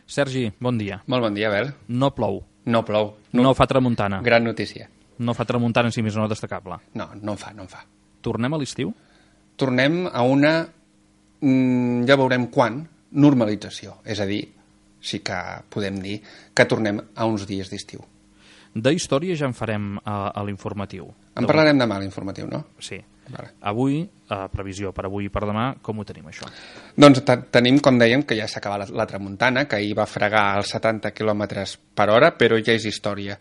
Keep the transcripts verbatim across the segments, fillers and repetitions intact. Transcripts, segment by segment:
Sergi, bon dia. Molt bon dia, Abel. No plou. No plou. No, no fa tramuntana. Gran notícia. No fa tramuntana en si més no destacable. No, no en fa, no en fa. Tornem a l'estiu? Tornem a una, mm, ja veurem quan, normalització. És a dir, sí que podem dir que tornem a uns dies d'estiu. De història ja en farem a, a l'informatiu. En parlarem demà a l'informatiu, no? Sí. Vale. Avui, eh, previsió per avui i per demà, com ho tenim això? Doncs tenim, com dèiem, que ja s'acaba la, la tramuntana, que ahir va fregar als setanta quilòmetres per hora, però ja és història.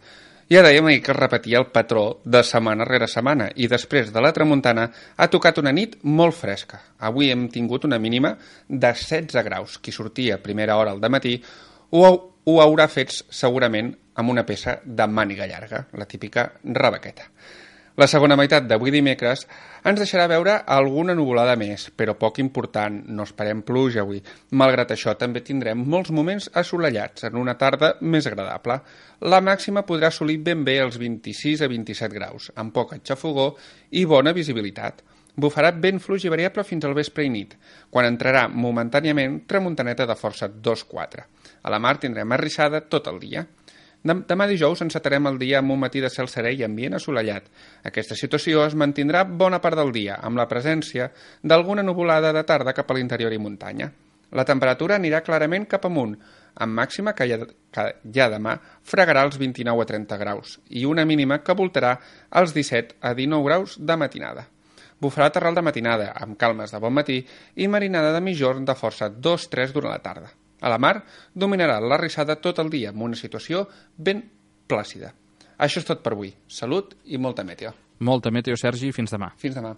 Ja dèiem ahir que es repetia el patró de setmana rere setmana i després de la tramuntana ha tocat una nit molt fresca. Avui hem tingut una mínima de setze graus. Qui sortia a primera hora al dematí ho, ho haurà fet segurament amb una peça de màniga llarga, la típica rebequeta. La segona meitat d'avui dimecres ens deixarà veure alguna nuvolada més, però poc important, no esperem pluja avui. Malgrat això, també tindrem molts moments assolellats en una tarda més agradable. La màxima podrà assolir ben bé els vint-i-sis a vint-i-set graus, amb poca xafogor i bona visibilitat. Bufarà vent fluix i variable fins al vespre i nit, quan entrarà momentàniament tramuntaneta de força dos quatre. A la mar tindrem arrissada tot el dia. Demà dijous encetarem el dia amb un matí de cel serè i ambient assolellat. Aquesta situació es mantindrà bona part del dia, amb la presència d'alguna nuvolada de tarda cap a l'interior i muntanya. La temperatura anirà clarament cap amunt, amb màxima que ja, que ja demà fregarà els vint-i-nou a trenta graus i una mínima que voltarà els disset a dinou graus de matinada. Bufarà terral de matinada, amb calmes de bon matí i marinada de mitjorn de força dos tres durant la tarda. A la mar dominarà la rissada tot el dia amb una situació ben plàcida. Això és tot per avui. Salut i molta meteo. Molta meteo, Sergi. Fins demà. Fins demà.